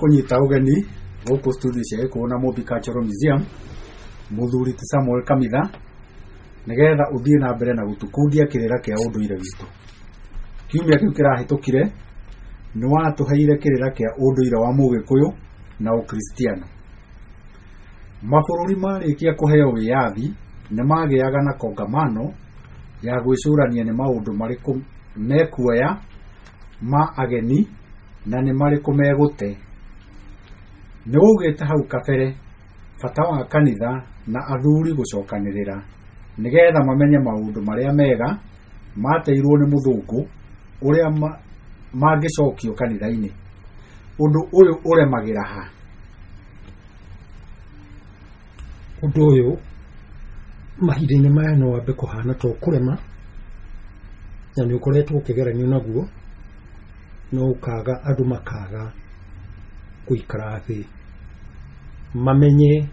Kũnyita ũgeni gũkũ studio cia Gĩkũyũ na Mũmbi Cultural Museum, mũthuri ti Samuel Kamitha, nĩgetha ũthiĩ na mbere na gũtũkundia kĩrĩra kĩa ũndũire witũ. Kiumia kĩu kĩrahĩtũkire, nĩ watũheire kĩrĩra kĩa ũndũire wa Mũgĩkũyũ na Ũkristiano. Mabũrũri marĩkia kũheo wĩyathi nĩ magĩaga na kongamano ya gwĩcũrania nĩ maũndũ marĩkũ mekuoya ma ageni na nĩ marĩkũ megũte. Nĩ waugĩte hau kabere bata wa kanitha na athuri gũcokanĩrĩra nĩgetha mamenye maũndũ marĩa mega mateirwo nĩ mũthũngũ ũrĩa mangĩcokio kanitha-inĩ. Ũndũ ũyũ ũremagĩra ha? Ũndũ ũyũ mahinda-inĩ maya no wambe kũhana ta ũkũrema, na nĩ ũkoretwo ũkĩgeranio naguo, no ũkaga andũ makaga gũikara thĩ mamenye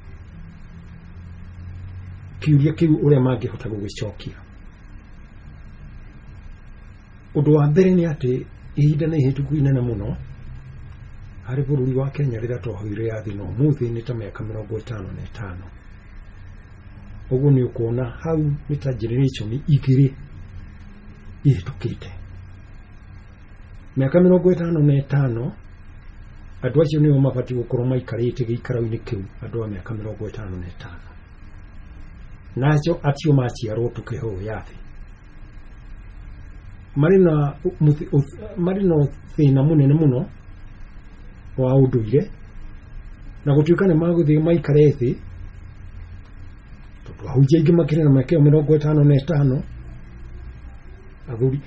kĩũria kĩu ũrĩa mangĩhota gũgĩcokia. Ũndũ wa mbere nĩ atĩ ihinda nĩ ihĩtũku inene mũno harĩ bũrũri wa Kenya rĩrĩa twahoire wĩyathi na ũmũthĩ nĩ ta mĩaka 55. Ũguo nĩ ũkuona hau nĩ ta generation igĩrĩ ihĩtũkĩte. Mĩaka 55 andũ acio nĩo mabatiĩ gũkorwo maikarĩte gĩikaro-inĩ kĩu, andũ a mĩaka 55. Nacio acio maciarwo tũkĩheo wĩyathi marĩ na marĩ na thĩna mũnene mũno wa ũndũire, na gũtuĩka nĩ magũthiĩ maikare thĩ, tondũ ahunjia aingĩ makĩrĩ na mĩaka ĩyo 55, athuri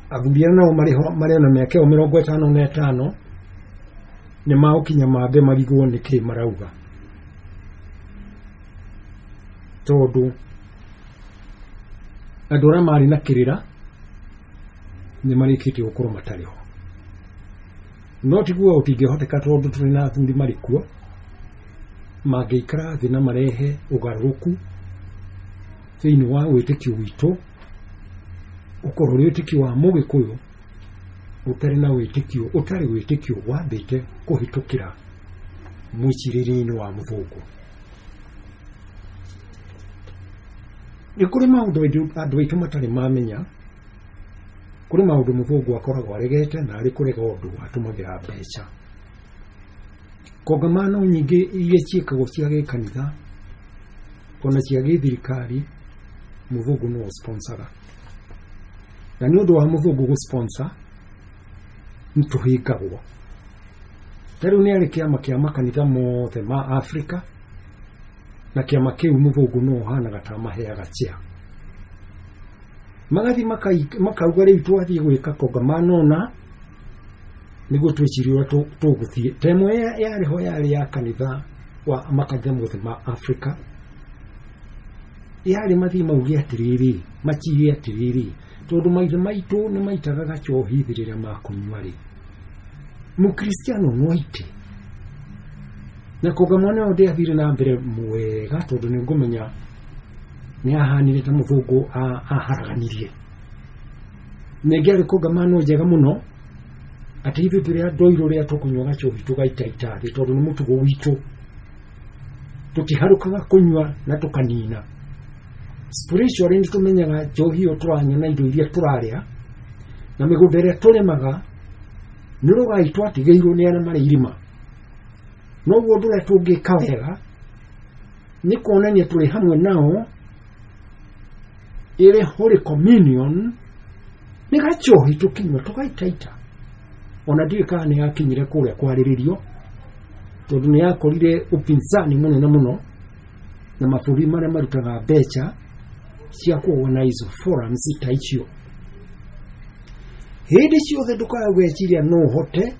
arĩa nao marĩ na mĩaka ĩyo 55 nĩ magũkinya mambe marigwo nĩkĩ marauga, tondũ andũ arĩa marĩ na kĩrĩra nĩ marĩkĩtie gũkorwo matarĩ ho. No tiguo ũtingĩhoteka, tondũ tũrĩ na athuri marĩ kuo mangĩikara thĩ na marehe ũgarũrũku thĩinĩ wa wĩtĩkio witũ, ũkorwo ũrĩ wĩtĩkio wa Mũgĩkũyũ ũtarĩ na wĩtĩkio, ũtarĩ wĩtĩkio wambĩte kũhĩtũkĩra mwĩcirĩrie-inĩ wa mũthũngũ. Nĩ kũrĩ maũndũ andũ aitũ matarĩ mamenya. Kũrĩ maũndũ mũthũngũ akoragwo aregete, na arĩ kũrega ũndũ atũmagĩra mbeca. Kongamano nyingĩ iria ciĩkagwo cia gĩkanitha ona cia gĩthirikari, mũthũngũ nĩwe sponsoraga. Na nĩ ũndũ wa mũthũngũ gũ-sponsor nĩ tũhĩngagwo. Ta rĩu nĩ arĩ kĩama kĩa makanitha mothe ma Afrika, na kĩama kĩu mũthũngũ nĩwe ũhanaga ta amaheaga chair. Magathiĩ makauga rĩu twathiĩ gwĩka kongamano na nĩguo twĩcirie ũrĩa tũgũthiĩ. Ta ĩmwe yarĩ ho yarĩ ya kanitha wa makanitha mothe ma Afrika, yarĩ mathiĩ mauge atĩrĩrĩ, macire atĩrĩrĩ, tondũ maithe maitũ nĩ maitaga gacohi thĩ rĩrĩa makũnyua rĩ, mũkristiano no aite. Na kongamano ĩyo ndĩathire na mbere mwega, tondũ nĩ ngũmenya nĩ ahanire ta mũthũngũ aharaganirie. Ningĩ arĩ kongamano njega mũno, atĩ ithuĩ tũrĩ andũ airũ rĩrĩa tũkũnyua gacohi tũgaitaita thĩ, tondũ nĩ mũtugo witũ, tũtiharũkaga kũnyua na tũkanina. Spiritually nĩ tũmenyaga njohi ĩyo tũranyua na indo iria tũrarĩa na mĩgũnda ĩrĩa tũrĩmaga nĩ rũgai twatigĩirwo nĩ arĩa marĩ irima. Noguo ũndũ ũrĩa tũngĩka wega nĩ kuonania tũrĩ hamwe nao ĩrĩ Holy Communion, nĩ gacohi tũkinyua tũgaitaita. Ona ndiũĩ kana nĩ yakinyire kũrĩa kwarĩrĩrio, tondũ nĩ yakorire upinzani mũnene mũno na mabũrũri marĩa marutaga mbeca cia ku-organize forums ta icio. Hĩndĩ ciothe ndũkae gwĩciria no ũhote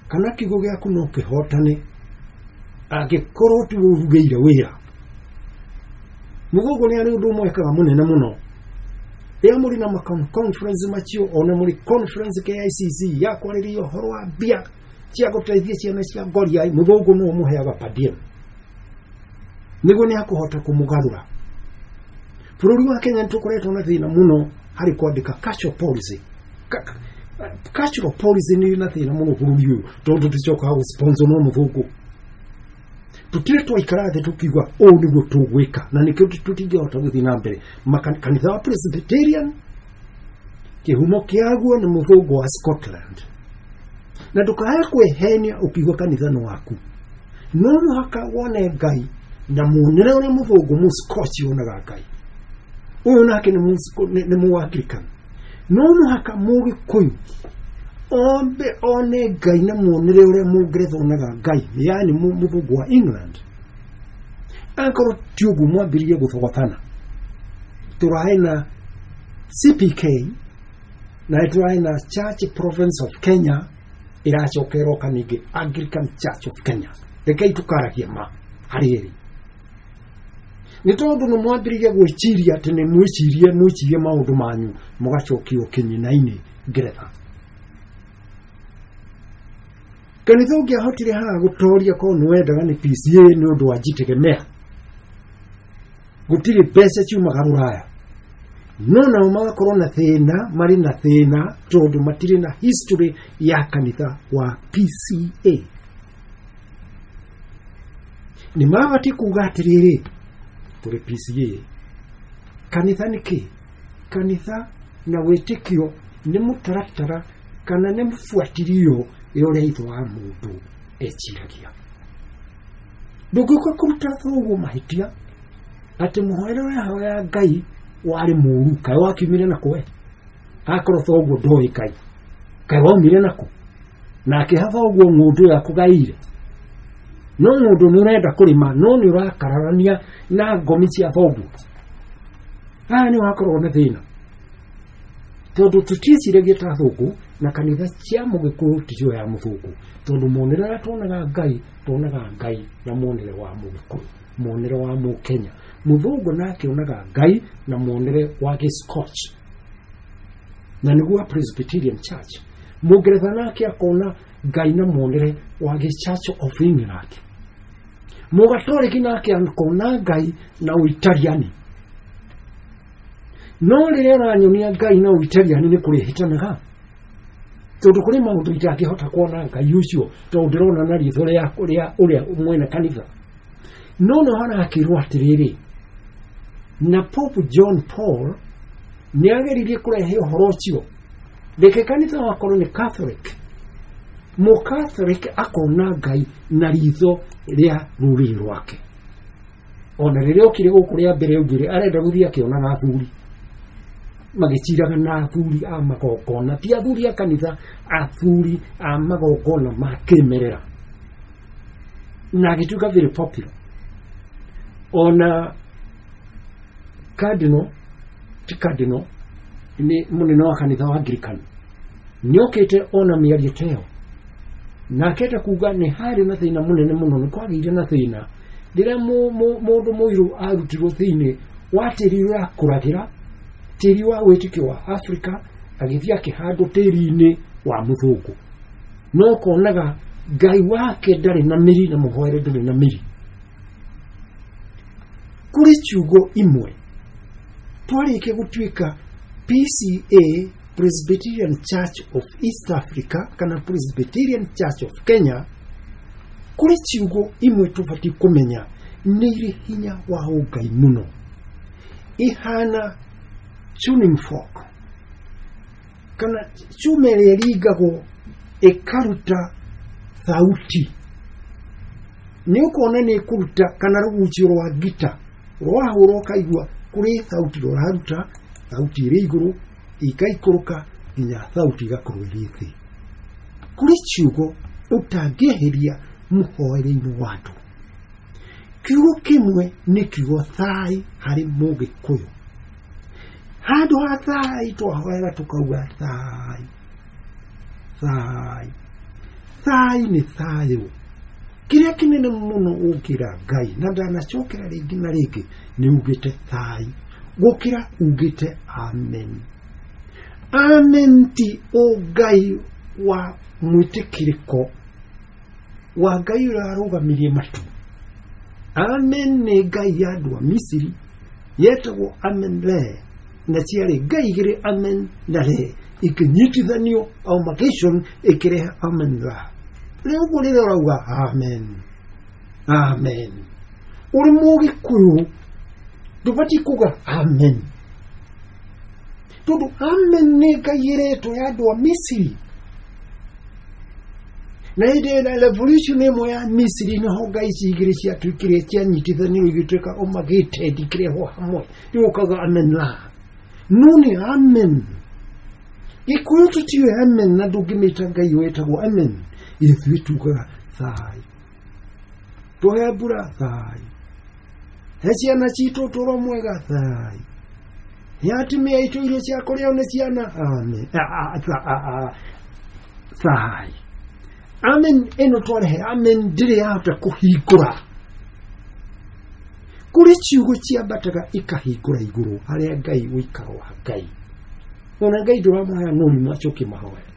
kana kiugo gĩaku no kĩhotane angĩkorwo tiwe ũrugĩire wĩra. Mũthũngũ nĩ arĩ ũndũ ũmwe ekaga mũnene mũno. Rĩrĩa mũrĩ na conference macio, ona mũrĩ conference KICC ya kwarĩrĩria ũhoro wa mbia cia gũteithia ciana cia ngoria, mũthũngũ no ũmũheaga per diem nĩguo nĩ akũhota kũmũgarũra. Bũrũri wa Kenya nĩ tũkoretwo na thĩna mũno harĩ kwandĩka cultural policy. Cultural policy nĩ na thĩna mũno bũrũri ũyũ tondũ tũcokaga gũ-sponsor no mũthũngũ. Tũtirĩ twaikara thĩ tũkiuga ũũ nĩguo tũgwĩka, na nĩkĩo tũtingĩhota gũthiĩ na mbere. Kanitha wa Presbyterian kĩhumo kĩaguo nĩ mũthũngũ wa Scotland, na ndũkae kwĩhenia ũkiuga kanitha nĩ waku. No mũhaka wone Ngai na muonere ũrĩa mũthũngũ mũscotch onaga Ngai. Ũyũ nake nĩ mũanglican. No mũhaka mũgĩkũyũ ombe one Ngai na muonere ũrĩa mũngeretha onaga Ngai, yaani mũthũngũ wa England. Akorwo ti ũguo mwambĩrĩrie gũthogothana. Tũraĩ na CPK na tũraĩ na Church Province of Kenya, ĩracoka ĩroka ningĩ Anglican Church of Kenya. Rekei tũkaragia ma harĩ ĩrĩ, nĩ tondũ nĩ mwambĩrĩria gwĩciria atĩ nĩ mwĩcirie maũndũ manyu, mũgacokio kĩnyina-inĩ Ngeretha. Kanitha ũngĩahotire haha gũtoria korwo nĩ wendaga nĩ PCA nĩ ũndũ wa jitegemea, gũtirĩ mbeca ciumaga rũraya, no nao magakorwo na thĩna, marĩ na thĩna tondũ matirĩ na history ya kanitha wa PCA. Nĩ mabatiĩ kuga atĩrĩrĩ, tũrĩ PCA. Kanitha nĩ kĩ? Kanitha na wĩtĩkio nĩ mũtaratara kana nĩ mũbuatilio ya ũrĩa ithe wa mũndũ eciragia. Ndũngĩũka kũruta thoguo mahĩtia atĩ mũhoere ũrĩa ahoya Ngai warĩ mũru, kaĩ wakiumire na kwe? Akorwo thoguo ndoĩ Ngai, kaĩ waumire nakũ? Nake ha thoguo ng'ũndũ yakũgaĩire. No ng'ũndũ nĩ ũrenda kũrĩma, no nĩ ũrakararania na ngomi cia thoguo. Haha nĩ wakorwo na thĩna tondũ tũtiĩciragia ta thũngũ, na kanitha cia mũgĩkũyũ ticio ya mũthũngũ, tondũ muonere ũrĩa tuonaga Ngai, tuonaga Ngai na muonere wa mũgĩkũyũ, muonere wa mũkenya. Mũthũngũ nake onaga Ngai na muonere wa gĩscotch, na nĩguo wa Presbyterian Church. Mũngeretha nake akona Ngai na muonere wa gĩ-Church of England. Mũgatoliki nake akona Ngai na ũitaliani. No rĩrĩa ũranyonia Ngai na ũitaliani nĩ kũrĩhĩtanaga, tondũ kũrĩ maũndũ itangĩhota kuona Ngai ũcio tondũ ndĩrona na riitho rĩa ũrĩa mwene kanitha. No no harakĩrwo atĩrĩrĩ, na Pope John Paul nĩ ageririe kũrehe ũhoro ũcio. Reke kanitha wakorwo nĩ Catholic, mũcatholic akona Ngai na ritho rĩa rũrĩrĩ rwake. Ona rĩrĩa okire gũkũ rĩa mbere augire arenda gũthiĩ akĩonaga athuri magĩciraga na athuri a magongona, ti athuri a kanitha, athuri a magongona ma kĩmerera, na agĩtuĩka very popular. Ona cardinal, ti cardinal, nĩ mũnene wa kanitha wa Anglican, nĩokĩte ona mĩario ta ĩyo, na akenda kuga nĩ harĩ na thĩna mũnene mũno, nĩ kwagĩire na thĩna rĩrĩa mũndũ mũirũ arutirwo thĩinĩ wa tĩri ũrĩa akũragĩra, tĩri wa wĩtĩkio wa Afrika, agĩthiĩ akĩhandwo tĩri-inĩ wa mũthũngũ. No konaga Ngai wake ndarĩ na mĩri na mũhoere ndũrĩ na mĩri. Kũrĩ ciugo imwe twarĩkia gũtuĩka PCA, Presbyterian Church of East Africa kana Presbyterian Church of Kenya, kũrĩ ciugo imwe tũbatiĩ kũmenya nĩ irĩ hinya wa ũngai mũno, ihana tuning fork kana cuma ĩrĩa ĩringagwo ĩkaruta thauti. Nĩ ũkuona nĩ ĩkũruta, kana rũgucio rwa ngita rwahũrwo ũkaigua kũrĩ thauti rũraruta, thauti ĩrĩ igũrũ ĩgaikũrũka nginya thauti ĩgakorwo ĩrĩ thĩ. Kũrĩ ciugo ũtangĩeheria mũhoere-inĩ wa andũ. Kiugo kĩmwe nĩ kiugo thai harĩ mũgĩkũyũ. Handũ ha thai twahoera tũkauga thai thai thai, nĩ thayũ. Kĩrĩa kĩnene mũno ũngĩra Ngai, na ndanacokera rĩngĩ na rĩngĩ, nĩ ugĩte thai gũkĩra ugĩte amen. Amen ti ũngai wa mwĩtĩkĩrĩko wa Ngai ũrĩa warũgamirie matu. Amen nĩ Ngai ya andũ a Misiri yetagwo Amen Re. Na ciarĩ ngai igĩrĩ, Amen na Re, ikĩnyitithanio amalgamation ĩkĩrehe Amen Ra. Rĩu ũguo rĩrĩa ũrauga amen amen, ũrĩ Mũgĩkũyũ ndũbatiĩ kuga amen, tondũ amen nĩ ngai ĩretwo ya andũ a Misiri. Na hĩndĩ ĩna revolution ĩmwe ya Misiri nĩho ngai ici igĩrĩ ciatuĩkire cianyitithanio igĩtuĩka amalgamated, ikĩrehwo hamwe, rĩu ũkauga amen la, no nĩ amen. Gĩkũyũ tũtiũĩ amen, na ndũngĩmĩta ngai wĩtagwo amen. Ithuĩ tugaga thai, tũhe mbura thai, he ciana citũ ũtũũro mwega thai, he atumia aitũ irio cia kũrĩo nĩ ciana amen. Thai amen ĩno twarehe amen ndĩrĩ yahota kũhingũra. Kũrĩ ciugo ciambataga ikahingũra igũrũ harĩa Ngai ũikaro wa Ngai, ona Ngai ndũramũhoya no nĩ macokie mahoya.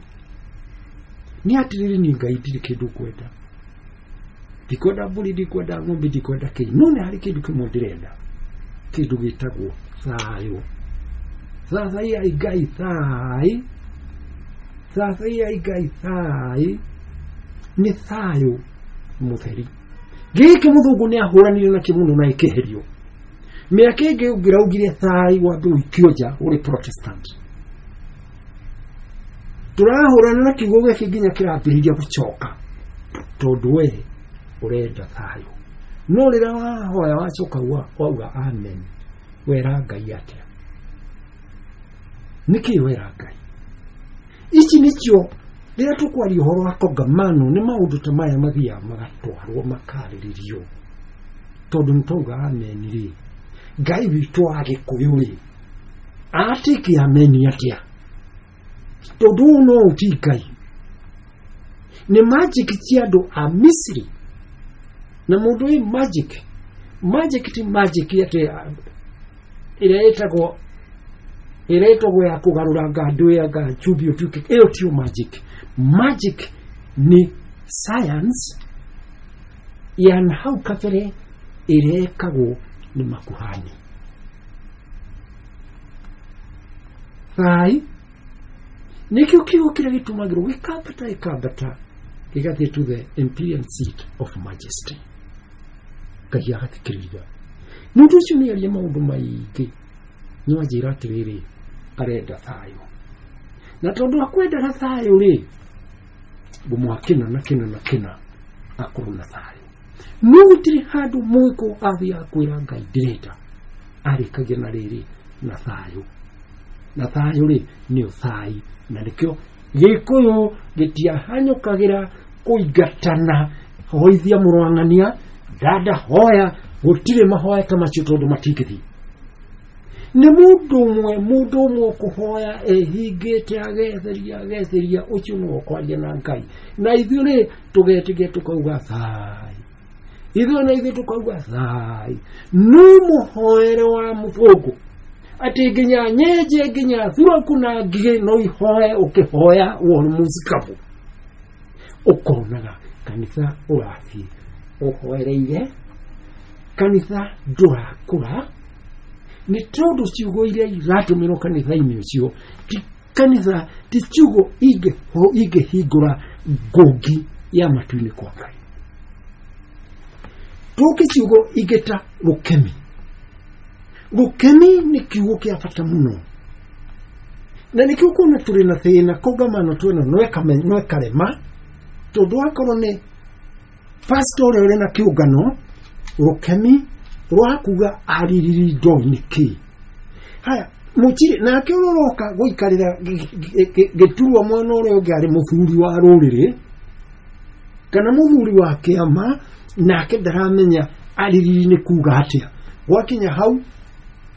Nĩ atĩrĩrĩ, ni Ngai ndirĩ kĩndũ ngwenda, ndikwenda mbũri, ndikwenda ng'ombe, ndikwenda kĩ, no nĩ harĩ kĩndũ kĩmwe ndĩrenda, kĩndũ gĩtagwo thayũ. Thathaiyai Ngai thai, thathaiyai Ngai thai, nĩ thayũ mũtheri. Gĩkĩ mũthũngũ nĩ ahũranire nakĩo mũno na ĩkĩeherio. Mĩaka ĩngĩ ũngĩraugire thai wambe ũikio nja ũrĩ Protestant. Tũrahũrana na kiugo gĩkĩ nginya kĩrambĩrĩria gũcoka, tondũ we ũrenda thayũ. No rĩrĩa wahoya wacoka wauga amen, wera Ngai atĩa? Nĩkĩ wera Ngai? Ici nĩcio rĩrĩa tũkwaria ũhoro wa kongamano, nĩ maũndũ ta maya mathiaga magatwarwo makarĩrĩrio, tondũ nĩ twauga amen rĩ, Ngai witũ wa Gĩkũyũ rĩ, atĩke amen atĩa? Tondũ ũũ no ũti Ngai nĩ magic cia andũ a Misiri. Na mũndũ wĩ magic, magic ti magic atĩ ĩrĩa ĩtagwo ya kũgarũra ngandũ ya ngachumbi ũtuĩke, ĩyo tio magic. Magic nĩ science ya na hau kabere ĩrĩa ĩkagwo nĩ makuhani. Thai nĩkĩo kiugo kĩrĩa gĩtũmagĩrwo gĩkambata gĩkambata gĩgathiĩ to the imperial seat of majesty. Ngai agathikĩrĩria. Mũndũ ũcio nĩ aria maũndũ maingĩ, no anjĩra atĩrĩrĩ, arenda thayũ, na tondũ akwendaga thayũ rĩ, ngũmũha kĩna na kĩna na kĩna akorwo na thayũ. No gũtirĩ handũ mũgĩkũ athiaga kwĩra Ngai ndĩrenda, arĩkagia na rĩrĩ na thayũ, na thayũ rĩ nĩyo thai. Na nĩkĩo Gĩkũyũ gĩtiahanyũkagĩra kũingatana, hoithia mũrwang'ania dada hoya, gũtirĩ mahoya ta macio tondũ matingĩthiĩ. Nĩ mũndũ ũmwe, mũndũ ũmwe ũkũhoya ehingĩte agetheria agetheria, ũcio nĩwe ũkwaria na Ngai. Na ithuĩ rĩ tũgetĩkia tũkauga thai, ithuĩ na ithuĩ tũkauga thai. No mũhoere wa mũthũngũ atĩ nginya nyenje nginya thuraku na ngigĩ no ihoe, ũkĩhoya wone mũcikabu, ũkonaga kanitha ũrathiĩ ũhoereire, kanitha ndũrakũra, nĩ tondũ ciugo iria iratũmĩrwo kanitha-inĩ ũcio ti kanitha, ti ciugo ingĩhingũra ngũngi ya matu-inĩ kwa Ngai. Tũke ciugo ingĩ ta rũkemi. Rũkemi nĩ kiugo kĩa bata mũno, na nĩkĩo kuona tũrĩ na thĩna kongamano twĩna no ĩkarema, tondũ akorwo nĩ pastor ũrĩa ũrĩ na kĩũngano, rũkemi rwa kuga aririri ndoĩ nĩ kĩ. Haya mũtirĩ nake ũrĩa ũroka gũikarĩra gĩturwa mwena ũrĩa ũngĩ arĩ mũthuri wa rũrĩrĩ kana mũthuri wa kĩama, nake ndaramenya aririri nĩ kuga atĩa. Gwakinya hau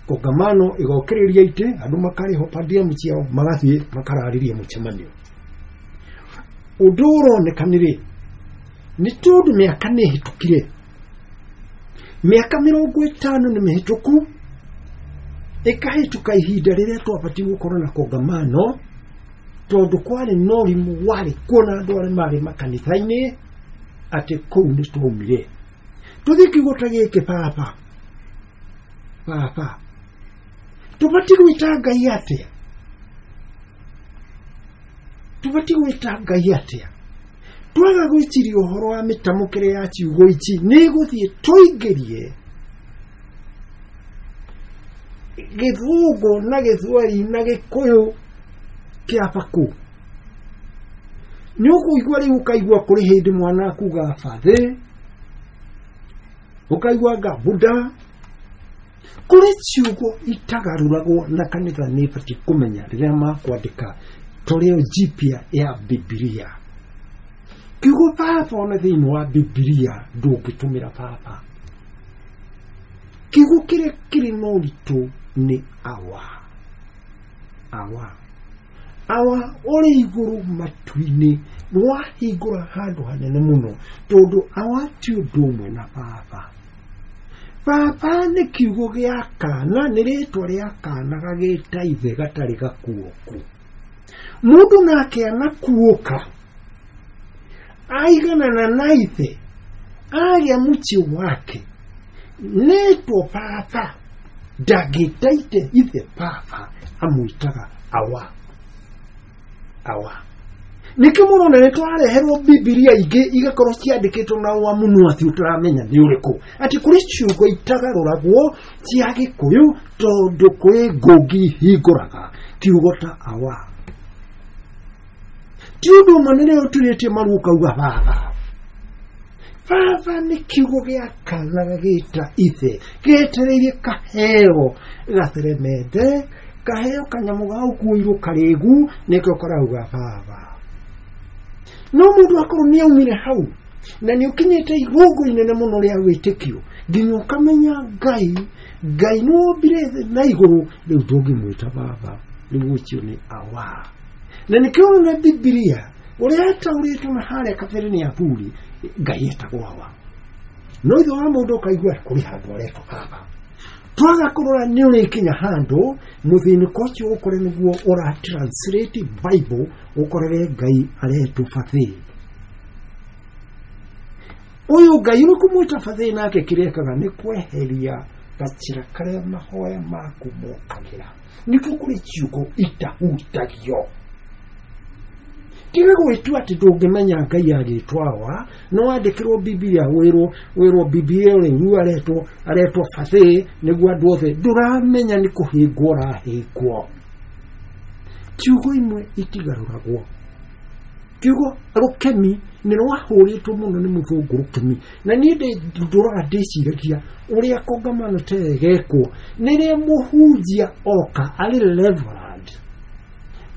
kongamano ĩgokĩrĩria itĩ, andũ makarĩhwo padiamu ciao, magathiĩ makararĩria mũcemanio. Ũndũ ũroneka nĩ rĩ, nĩ tondũ mĩaka nĩ ĩhĩtũkire, mĩaka 50 nĩ mĩhĩtũku, ĩkahĩtũka ihinda rĩrĩa twabatiĩ gũkorwo na kongamano, tondũ kwarĩ na ũrimũ warĩ kuo na andũ arĩa marĩ makanitha-inĩ atĩ kũu nĩ twaumire. Tũthiĩ kiugo ta gĩkĩ, baba baba, Tũbatiĩ gwĩta Ngai atĩa? Tũbatiĩ gwĩta Ngai atĩa? Twaga gwĩciria ũhoro wa mĩtamũkĩre ya ciugo ici, nĩ gũthiĩ tũingĩrie gĩthũngũ na gĩthweri na gĩkũyũ kĩa bakũ. Nĩ ũkũigua rĩu, ũkaigua kũrĩ hĩndĩ mwana akuga bathĩ, ũkaigua nga buda. Kũrĩ ciugo itagarũragwo na kanitha nĩ ĩbatiĩ kũmenya rĩrĩa makwandĩka toleo jipya ya Bibilia. Kiugo baba ona thĩinĩ wa Bibilia ndũngĩtũmĩra baba. Kiugo kĩrĩa kĩrĩ na ũritũ nĩ awa. Awa. Awa ũrĩ igũrũ matu-inĩ, wahingũra handũ hanene mũno, tondũ awa ti ũndũ ũmwe na baba. Baba nĩ kiugo gĩa kana, nĩ rĩtwa rĩa kana gagĩta ithe gatarĩ gakuoku. Mũndũ nake anakuũka, aiganana na ithe, agĩa mũciĩ wake, nĩtwo baba, ndangĩta ithe baba, amwĩtaga awa. Awa. Nĩkĩo mũrona nĩ tũrareherwo Bibilia ingĩ igakorwo ciandĩkĩtwo na wa mũno atĩ ũtaramenya nĩ ũrĩkũ, atĩ kũrĩ ciugo itagarũragwo cia Gĩkũyũ tondũ kũrĩ ngũngi hingũraga kiugo ta awa. Ti ũndũ ũmwe nĩ rĩo ũturĩtie maru ũkauga baba. Baba nĩ kiugo gĩa kana gagĩta ithe, getereirie kaheo gatheremende, kaheo kanyamũ ga ũkuĩirwo karĩgu, nĩkĩo karauga baba. No mũndũ akorwo nĩ aumire hau na nĩ ũkinyĩte igũngũ inene mũno rĩa wĩtĩkio nginya ũkamenya Ngai, Ngai nĩ wombire thĩ na igũrũ, rĩu ndũngĩmwĩta baba, rĩu ũcio nĩ awa. Na nĩkĩo ũrona Bibilia ũrĩa yataũrĩtwo na harĩa kabere nĩ athuri, Ngai etagwo awa. No ithe wa mũndũ ũkaigua kũrĩ handũ aretwo baba. Twaga kũrora nĩ ũrĩkinya handũ mũthĩnĩko ũcio ũkore nĩguo ũra translate Bible, ũkorere Ngai aretwo bathĩ. Ũyũ Ngai ũrĩ kũmwĩta bathĩ nake kĩrĩa ekaga nĩ kweheria gacĩra karĩa mahoya maku mokagĩra. Nĩkĩo kũrĩ ciugo itahutagio. Tiga gwĩtua atĩ ndũngĩmenya Ngai agĩtwo awa, no wandĩkĩrwo Bibilia wĩrwo Bibilia rĩu aretwo bathĩ nĩguo andũ othe, ndũramenya nĩ kũhĩngwo ũrahĩngwo. Ciugo imwe itigarũragwo. Kiugo rũkemi nĩ rwahũrĩtwo mũno nĩ mũthũngũ rũkemi, na niĩ ndũraga ndĩciragia ũrĩa kongamano ta ĩyo ĩgekwo nĩrĩa mũhunjia oka arĩ reverend,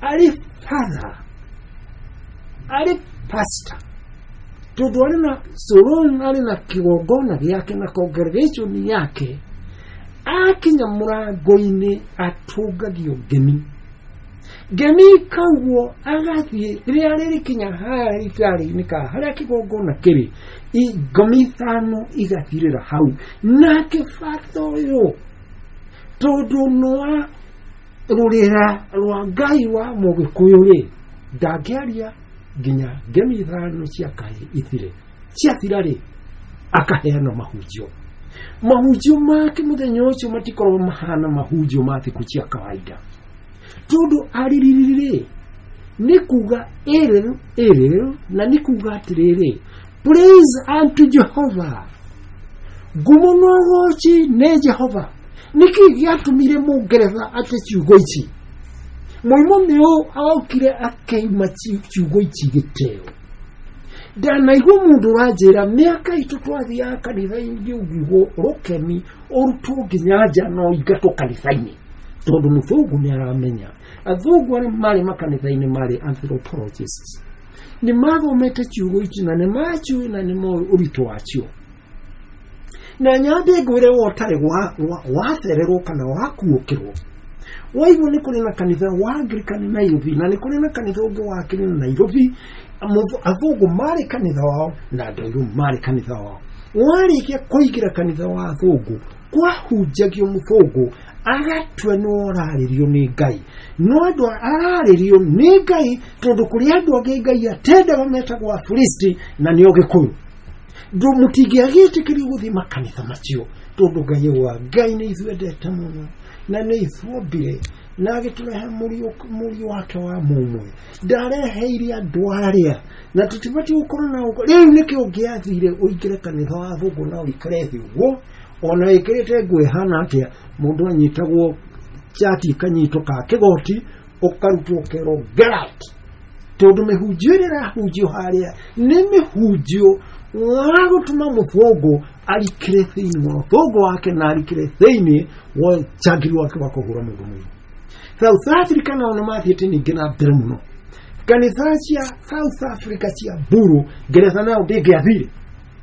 arĩ father, arĩ pastor, tondũ arĩ na solon, arĩ na kĩgongona gĩake na congregation yake, akinya mũrango-inĩ atũngagio ngemi. Ngemi ikaugwo agathiĩ rĩrĩa rĩrĩkinya harĩa ritarĩ-inĩ ka harĩa kĩgongona kĩrĩ, ngomi ithano igathirĩra hau. Nake bata ũyũ tondũ nwa rũrĩra rwa Ngai wa Mũgĩkũyũ rĩ, ndangĩaria nginya ngemi ithano cia kahĩ ithire. Ciathira rĩ, akaheana mahunjio. Mahunjio make mũthenya ũcio matikoragwo mahana mahunjio ma thikũ cia kawaida, tondũ aririri nĩ kuga ĩrĩ ĩrĩ, na nĩ kuga atĩrĩrĩ, praise unto Jehovah, ngumo na ũgoci nĩ Jehova. Nĩkĩ gĩatũmire mũngeretha ate ciugo ici? Mũrimũ nĩ ũ okire akĩima ciugo ici gĩteo. Ndanaigua mũndũ ũranjĩra mĩaka itũ twathiaga kanitha-inĩ ũngiugwo rũkemi ũrutwo nginya nja no ingatwo kanitha-inĩ, tondũ mũthũngũ nĩ aramenya. Athũngũ arĩa marĩ makanitha-inĩ marĩ anthropologists, nĩ mathomete ciugo ici na nĩ maciũĩ na nĩ moĩ ũritũ wacio. Na nyambe ngwĩre we ũtarĩ wacererwo kana wakuũkĩrwo, waigua nĩ kũrĩ na kanitha wa Anglican Nairobi na nĩ kũrĩ na kanitha ũngĩ wa Kenya Nairobi. Athũngũ marĩ kanitha wao na andũ airũ marĩ kanitha wao. Warĩkia kũingĩra kanitha wa athũngũ, kwahunjagio mũthũngũ agatua nĩ ũrarĩrio nĩ Ngai, no andũ ararĩrio nĩ Ngai tondũ kũrĩ andũ angĩ Ngai atendaga metagwo Afilisti na nĩo Gĩkũyũ. Mũtingĩagĩtĩkĩrio gũthiĩ makanitha macio tondũ Ngai wa Ngai nĩ ithuendete mũno, na nĩ ithuombire na agĩtũrehe mũriũ wake wa mũmwe ndareheire andũ arĩa na tũtibatiĩ gũkorwo na ũko rĩu nĩkĩo ũngĩathire ũingĩre kanitha wa thũngũ na ũikare thĩ ũguo ona wĩkĩrĩte nguo ĩhana atĩa mũndũ anyitagwo chati ikanyitwo ka kĩgoti ũkarutwo ũkerwo get out tondũ mĩhunjio ĩrĩa ĩrahunjio harĩa nĩ mĩhunjio wa gũtũma mũthũngũ arikĩre thĩinĩ wa ũthũngũ wake na arikĩre thĩinĩ wa njangiri wake wa kũhũra mũndũ mũirũ. South Africa nao nĩ mathiĩte ningĩ na mbere mũno. Kanitha cia South Africa cia mburu ngeretha nayo ndĩngĩathire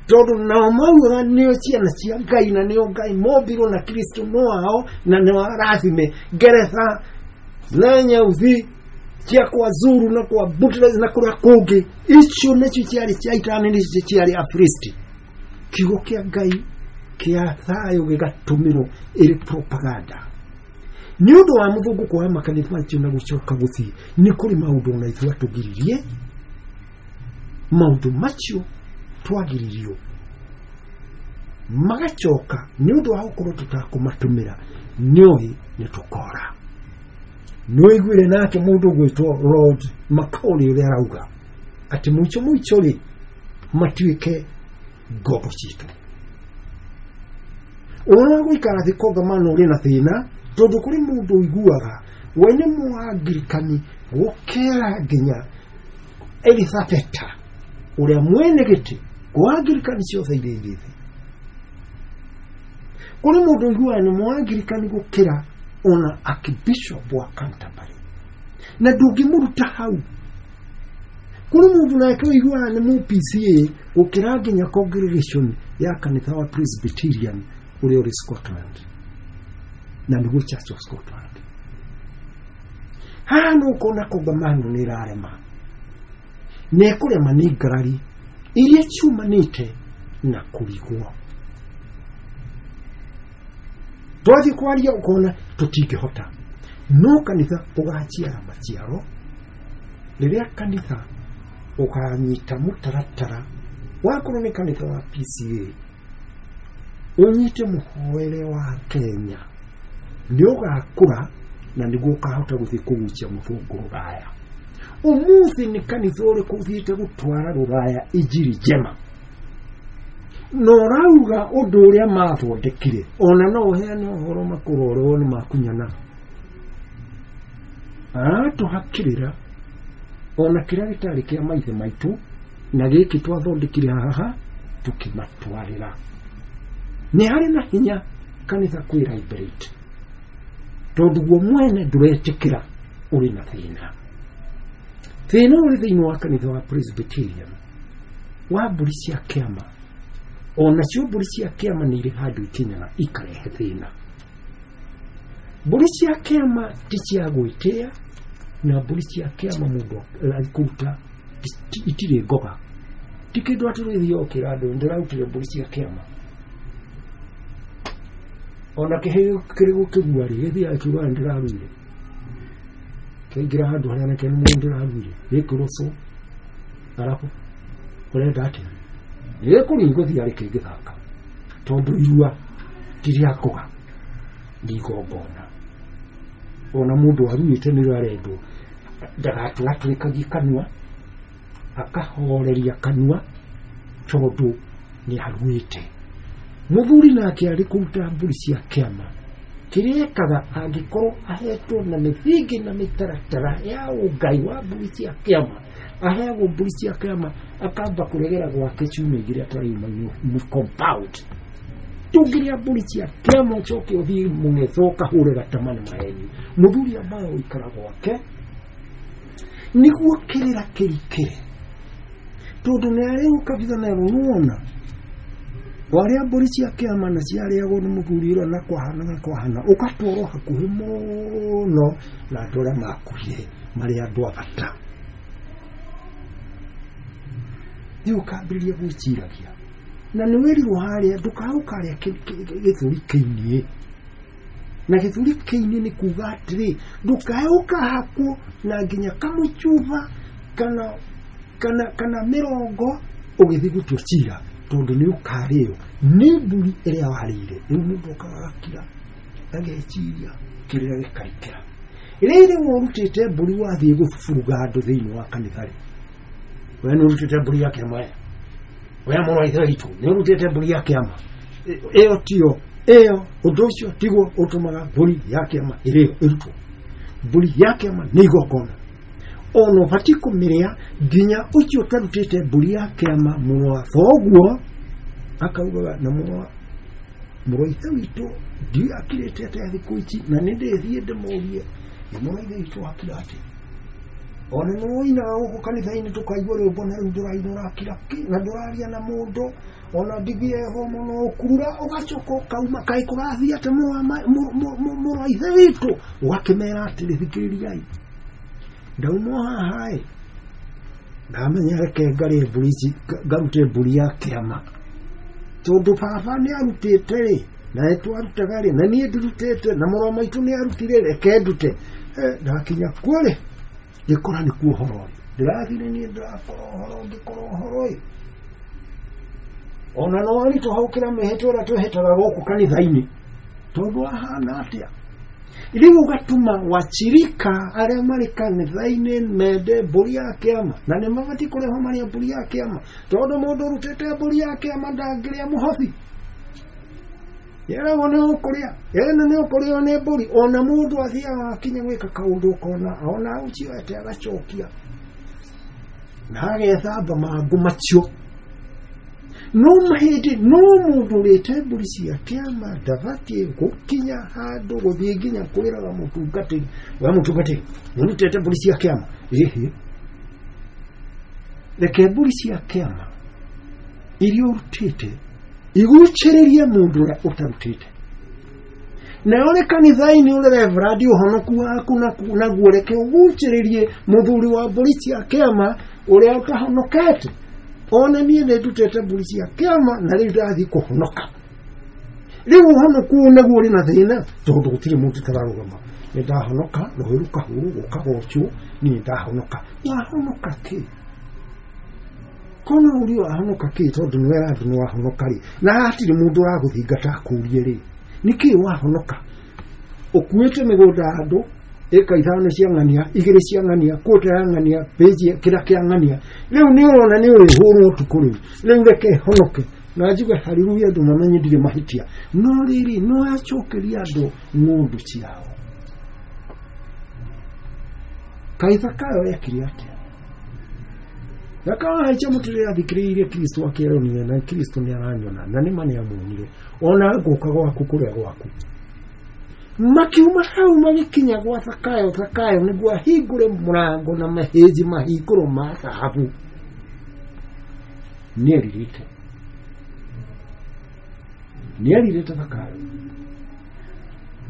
tondũ nao maugaga nĩo ciana cia Ngai na nĩo Ngai mombirwo na Kristo no wao na nĩo arathime. Ngeretha na nyauthi cia kwa Zulu na kwa Butlers na kũrĩa kũngĩ icio nĩcio ciarĩ cia itani nĩcio ciarĩ Afilisti. Kiugo kĩa Ngai kĩa thayũ gĩgatũmĩrwo ĩrĩ propaganda nĩ ũndũ wa mũthũngũ kuoya makanitha macio na gũcoka gũthiĩ nĩ kũrĩ maũndũ ona ithuĩ atũgiririe maũndũ macio twagiririo magacoka nĩ ũndũ wa gũkorwo tũtakũmatũmĩra nĩoĩ nĩ tũkora. Nĩũiguire nake mũndũ ũgwĩtwo Lord Macaulay ũrĩa arauga atĩ mũico mũico rĩ matuĩke ngombo citũ. Ũhoro wa gũikara thĩ kongamano ũrĩ na thĩna tondũ kũrĩ mũndũ ũiguaga we nĩ mũangirikani gũkĩra nginya Elizabeta ũrĩa mwene gĩtĩ kwa angirikani ciothe iria irĩ thĩ. Kũrĩ mũndũ ũiguaga nĩ mũangirikani gũkĩra ona Archbishop wa Canterbury na ndũngĩmũruta hau. Kũrĩ mũndũ nake ũiguaga nĩ mũ PCA gũkĩra nginya congregation ya kanitha wa Presbyterian ũrĩa ũrĩ Scotland na nĩguo Church of Scotland. Haha nĩ ũkona kongamano nĩ ĩrarema na ĩkũrema nĩ ngarari iria ciumanĩte na kũrigwo. Twathiĩ kwaria ũkona tũtingĩhota no kanitha ũgaciara maciaro rĩrĩa kanitha ũkanyita mũtaratara wakorwo nĩ kanitha wa PCA ũnyite mũhoere wa Kenya nĩ ũgakũra na nĩguo ũkahota gũthiĩ kũgucia mũthũngũ rũraya. Ũmũthĩ nĩ kanitha ũrĩkũ ũthiĩte gũtwara rũraya injiri njema na ũrauga ũndũ ũrĩa mathondekire ona no ũheane ũhoro makũrorwo nĩ makunyana aratũhakĩrĩra ona kĩrĩa gĩtarĩ kĩa maithe maitũ na gĩkĩ twathondekire haha tũkĩmatwarĩra. Nĩ harĩ na hinya kanitha kwĩ liberate tondũ guo mwene ndũretĩkĩra ũrĩ na thĩna. Thĩna ũrĩ thĩinĩ wa kanitha wa Presbyterian wa mbũri cia kĩama ona cio mbũri cia kĩama nĩ irĩ handũ ikinyaga ikarehe thĩna. Mbũri cia kĩama ti cia gwĩtĩa na mbũri cia kĩama mũndũ akũruta itirĩ ngoga ti kĩndũ atĩ rĩthiĩ ũkĩra andũ ndĩrarutire mbũri cia kĩama ona kĩhĩ kĩrĩ gũkĩgua rĩ gĩthiaga kiugaga ndĩraruire kĩaingĩra handũ harĩa nake nĩ mũndũ ndĩraruire gĩkĩrwo cũ arabu ũrenda atĩa gĩkũrĩa gũthiĩ arĩ kĩngĩthaka tondũ irua ti rĩa ngoga nĩ igongona. Ona mũndũ aruĩte nĩrĩo arendwo ndagatũratũrĩkagie kanua akahoreria kanua tondũ nĩ aruĩte. Mũthuri nake arĩ kũruta mbũri cia kĩama kĩrĩa ekaga angĩkorwo ahetwo na mĩthingi na mĩtaratara ya ũngai wa mbũri cia kĩama aheagwo mbũri cia kĩama akamba kũregera gwake ciumia igĩrĩ atarauma compound. Tũngĩrĩa mbũri cia kĩama ũcoke ũthiĩ mũng'etho ũkahũre gatama nĩ maheni. Mũthuri ambaga gũikara gwake nĩguo kĩrĩra kĩrikĩre tondũ nĩ arĩ ũkabitha nerwo nĩwona warĩa mbũri cia kĩama na ciarĩagwo nĩ mũthuri ũrĩa na kwahana na kwahana ũgatwarwo hakuhĩ mũno na andũ arĩa makuire marĩ andũ a bata. Rĩu ũkambĩrĩria gwĩciragia na nĩ wĩrirwo harĩa ndũkaũkarĩa gĩthũri kĩinie na gĩthũri kĩinie nĩ kuga atĩrĩ ndũkae ũkahakwo na nginya kamũcuba kana mĩrongo ũgĩthiĩ gũtua cira tondũ nĩ ũkarĩo nĩ mbũri ĩrĩa warĩire. Rĩu mũndũ okaga agakira Ageciria kĩrĩra gĩkarikĩra. Rĩrĩ ũrutĩte mbũri wathiĩ gũburuga andũ thĩinĩ wa kanitha rĩ, we nĩ ũrutĩte mbũri ya kĩama we, we mũrũ wa ithe witũ nĩ ũrutĩte mbũri ya kĩama. Ĩyo tiyo, ĩyo ũndũ ũcio tiguo ũtũmaga mbũri ya kĩama ĩrĩo ĩrutwo. Mbũri ya kĩama nĩ igongona, ona ũbatiĩ kũmĩrĩa nginya ũcio ũtarutĩte mbũri ya kĩama mũrũ wa thoguo akaugaga na mũrũ wa ithe witũ ndiũĩ akirĩte atĩa thikũ ici, na nĩ ndĩthiĩ ndĩmũrie na mũrũ wa ithe witũ akira atĩa. Ona nĩ woinaga gũkũ kanitha-inĩ tũkaigua rwĩmbo na rĩu ndũraina ũrakira kĩ na ndũraria na mũndũ ona ndigieho mũno ũkurura ũgacoka ũkauma kaĩ kũrathiĩ atĩ mũrũ wa ithe witũ, ũgakĩmera atĩrĩ thikĩrĩriai ndauma haha ĩ ndamenya reke ngarĩe mbũri ici ngarute mbũri ya kĩama tondũ baba nĩ arutĩte rĩ na nĩ twarutaga rĩ na niĩ ndirutĩte na mũrũ wa maitũ nĩ arutire reke ndute. Ndakinya kuo rĩ ngĩkora nĩ kuo ũhoro rĩ ndĩrathire niĩ ndĩrakora ũhoro ngĩkora ũhoro ĩ ona no aritũha gũkĩra mĩhĩtwa ĩrĩa twĩhĩtaga gũkũ kanitha-inĩ tondũ ahana atĩa. Rĩu ũgatũma wachirika arĩa marĩ kanitha-inĩ mende mbũri ya kĩama na nĩ mabatiĩ kũrĩhwo marĩa mbũri ya kĩama tondũ mũndũ ũrutĩte mbũri ya kĩama ndangĩrĩa mũhothi yeragwo nĩ ũkũrĩa ĩno nĩ ũkũrĩo nĩ mbũri. Ona mũndũ athiaga akinya gwĩka kaũndũ ũkona ona ũcio ete agacokia na agethamba mangũ macio. No mahĩndĩ no mũndũ ũrĩte mbũri cia kĩama ndabatiĩ gũkinya handũ gũthiĩ nginya kwĩraga mũtungatĩri we mũtungatĩri nĩũrutĩte mbũri cia kĩama ĩhĩ reke mbũri cia kĩama iria ũrutĩte igucĩrĩrie mũndũ ũrĩa ũtarutĩte. Nayo ũrĩ kanitha-inĩ ũrĩ reverend ũhonoku waku naguo reke ũgucĩrĩrie mũthuri wa mbũri cia kĩama ũrĩa ũtahonokete. Ona niĩ nĩ ndutĩte mbũri cia kĩama na rĩu ndathiĩ kũhonoka. Rĩu ũhonoku ũyũ naguo ũrĩ na thĩna tondũ gũtirĩ mũndũ ũtararũgama. Nĩ ndahonoka rũhĩ rũkahũrwo gũkagocwo niĩ ndahonoka. Wahonoka kĩ? Kono ũrio wahonoka kĩ tondũ nĩ wera andũ nĩ wahonoka rĩ na hatirĩ mũndũ ũragũthingata akũrie rĩ nĩkĩ wahonoka? Ũkuĩte mĩgũnda ya andũ ĩka ithano cia ng'ania igĩrĩ cia ng'ania kũta ya ng'ania pĩji kĩrĩa kĩa ng'ania rĩu nĩ ũrona nĩ ũrĩhũrwo ũtukũ rĩu rĩu reke honoke na njuge haleluya andũ mamenye ndirĩ mahĩtia. No rĩrĩ no acokeria andũ ng'ondu ciao. Kaĩ Zakayo ekire atĩa? Zakayo ahaica mũtĩ rĩrĩa athikĩrĩirie Kristo akĩeronire na Kristo nĩ aranyona na nĩ ma nĩ amuonire ona ngũka gwaku kũrĩa gwaku. Makiuma hau magĩkinya gwa Zakayo. Zakayo nĩguo ahingũre mũrango na mahĩnji mahingũro ma thahabu nĩerirĩte Zakayo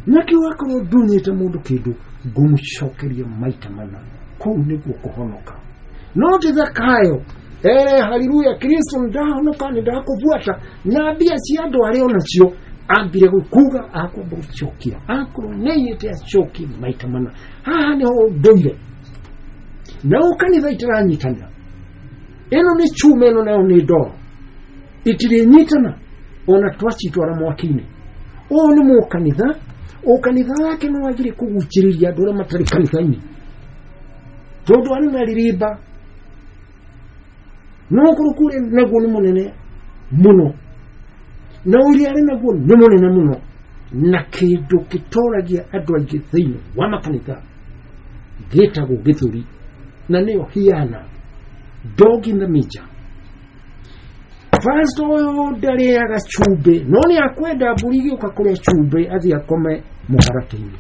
nakĩo akorwo ndunyĩte mũndũ kĩndũ ngũmũcokeria maita mana kũu nĩguo kũhonoka. No ti Zakayo ere haleluya Kristo ndahonoka nĩ ndakũbuata na mbia cia andũ arĩa onacio ambire kuga akwamba gũcokia akorwo nĩiyĩte acokie maita mana. Haha nĩho ndũire nao kanitha itiranyitanĩra ĩno nĩ chuma ĩno nayo nĩ ndoro itirĩnyitana ona twacitwara mwaki-inĩ. Ũyũ nĩ mũkanitha ũkanitha wake nĩ wagire kũgucĩrĩria andũ arĩa matarĩ kanitha-inĩ tondũ arĩ na rĩrĩmba no ũkũrũku ũrĩa naguo nĩ mũnene mũno na ũrĩa arĩ naguo nĩ mũnene mũno na kĩndũ gĩtoragia andũ aingĩ thĩinĩ wa makanitha gĩtagwo gĩthũri na nĩyo hiana dog in the major. Pastor ũyũ ndarĩaga cumbĩ no nĩ akwenda mbũri igĩũka kũrĩa cumbĩ athiĩ akome mũharatĩ-inĩ.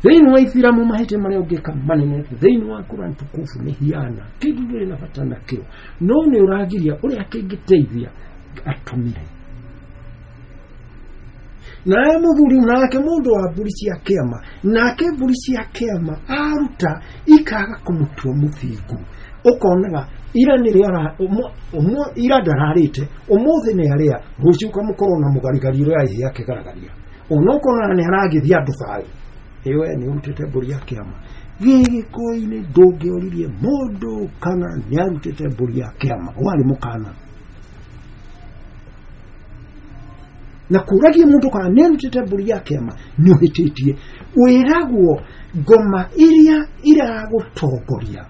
Thĩinĩ wa Ithiramu mahĩtia marĩa ũngĩka manene thĩinĩ wa Quran tukufu nĩ hiana kĩndũ ndũrĩ na bata nakĩo no nĩ ũragiria ũrĩa kĩngĩteithia atũmire. Naye mũthuri nake mũndũ wa mbũri cia kĩama nake mbũri cia kĩama aruta ikaga kũmũtua mũthingu ũkonaga ira nĩrĩo ira ndararĩte ũmũthĩ nĩ arĩa rũciũ ũkamũkorwo na mũgarigari ũrĩa ĩhĩ akĩgaragaria ona ũkonaga nĩ aragithia andũ thayũ ĩwe nĩ ũrutĩte mbũri ya kĩama. Gĩgĩkũyũ-inĩ ndũngĩoririe mũndũ kana nĩ arutĩte mbũri ya kĩama warĩ mũkana. Na kũragia mũndũ kana nĩ arutĩte mbũri ya kĩama nĩ ũhĩtĩtie. Wĩragwo ngoma iria iragũtongoria,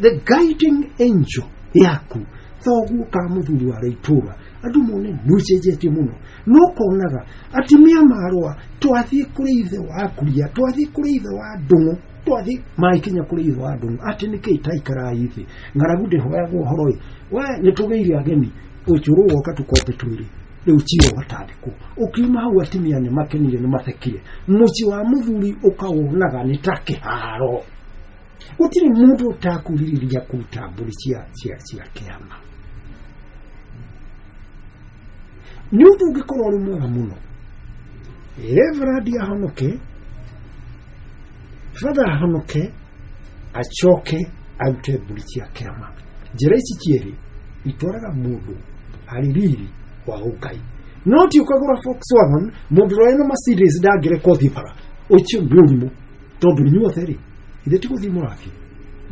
the guiding angel yaku, thoguo ka mũthuri wa itũra, andũ mone nĩ ũcenjetie mũno. No ũkonaga atumia marũa, twathiĩ kũrĩ ithe wa kuria, twathiĩ kũrĩ ithe wa ndũng'ũ, twathiĩ maikinya kũrĩ ithe wa ndũng'ũ, atĩ nĩkĩ taikara ithe ng'aragu ndĩhoyagwo ũhoro ĩ, we nĩtũgĩire ageni, ũcũrũ woka tũkombe twĩrĩ, rĩu cira ũgatandĩkwo. Ũkiuma hau atumia nĩ makenire, nĩ mathekire. Mũciĩ wa mũthuri ũkawonaga nĩ ta kĩharo. Gũtirĩ mũndũ ũtakũrirĩria kũruta mbũri cia kĩama. Nĩ ũndũ ũngĩkorwo ũrĩ mwega mũno Reverend ahonoke, Father ahonoke, acoke arute mbũri cia kĩama. Njĩra ici cierĩ itwaraga mũndũ harĩ riri wa ũngai. No ti ũkagũra Volkswagen, mũndũ ũrĩa wĩna Mercedes ndangĩrekwo thiĩ bara. Ũcio nĩ ũrimũ, tondũ inyuothe rĩ, ithe ti gũthiĩ mũrathiĩ.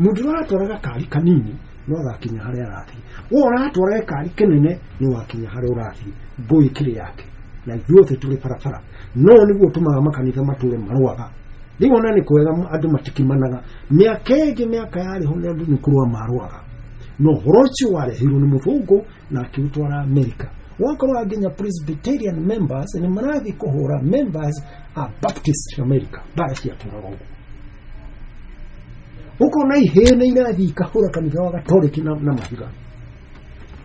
Mũndũ ũrĩa aratwara gakari kanini no agakinya harĩa arathiĩ, we ũratwara gakari kĩnene nĩ wakinya harĩa ũrathiĩ. Ngũĩ kĩrĩ yake, na ithuothe tũrĩ barabara. No nĩguo tũmaga makanitha matũre marũaga. Rĩu ona nĩ kwega andũ matikimanaga. Mĩaka ĩngĩ, mĩaka yarĩ ho nĩ andũ nĩ kũrũa marũaga. No ũhoro ũcio warehirwo nĩ mũthũngũ na akĩũtwara Amerika. Wakorwo nginya Presbyterian members nĩ marathiĩ kũhũra members a Baptist America, mbara ciatũraga ũguo. Ũkona ihĩĩ nĩ irathiĩ ikahũra kanitha wa Gatoreki na mahiga.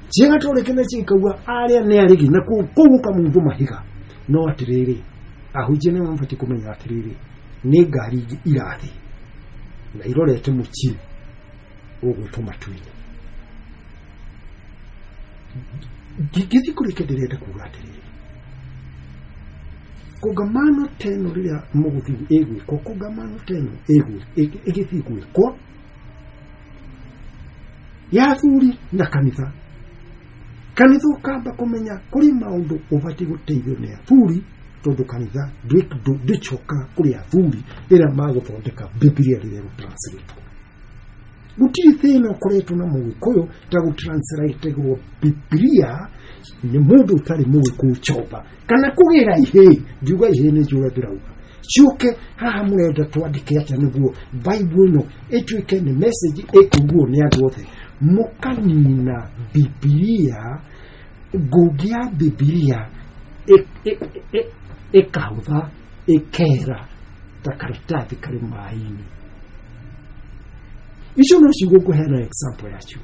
Cia Gatoreki na cikauga arĩa nĩ aregi, na kũu ũkamundũ mahiga. No atĩrĩrĩ, ahunjia nĩ mabatiĩ kũmenya atĩrĩrĩ, nĩ ngari ingĩ irathiĩ na irorete mũciĩ ũgwĩtwo matu-inĩ. Ngĩthiĩ kũrĩkia ndĩrenda kuga atĩrĩrĩ, kongamano teno rĩrĩa mũgũthiĩ ĩgwĩkwo, kongamano teno ĩgĩthiĩ gwĩkwo ya athuri na kanitha. Kanitha ũkamba kũmenya kũrĩ maũndũ ũbatiĩ gũteithio nĩ athuri, tondũ kanitha ndĩcokaga kũrĩ athuri rĩrĩa magũthondeka Bibilia rĩrĩa ĩgũtranslate. Gũtirĩ thĩna ũkoretwo na mũgĩkũyũ ta gũtranslategwo Bibilia nĩ mũndũ ũtarĩ mũgĩkũyũ chomba, kana kũgĩra ihĩĩ. Ngiuga ihĩĩ nĩ njũra ndĩrauga ciũke haha, mũrenda twandĩke atĩa nĩguo Bible ĩno ĩtuĩke nĩ message ĩkũiguo nĩ andũ othe. Mũkanina Bibilia, ngũngĩ ya Bibilia ĩkahũtha, ĩkera ta karatathi karĩ maĩ-inĩ. Icio no ciugo ngũheana example yacio.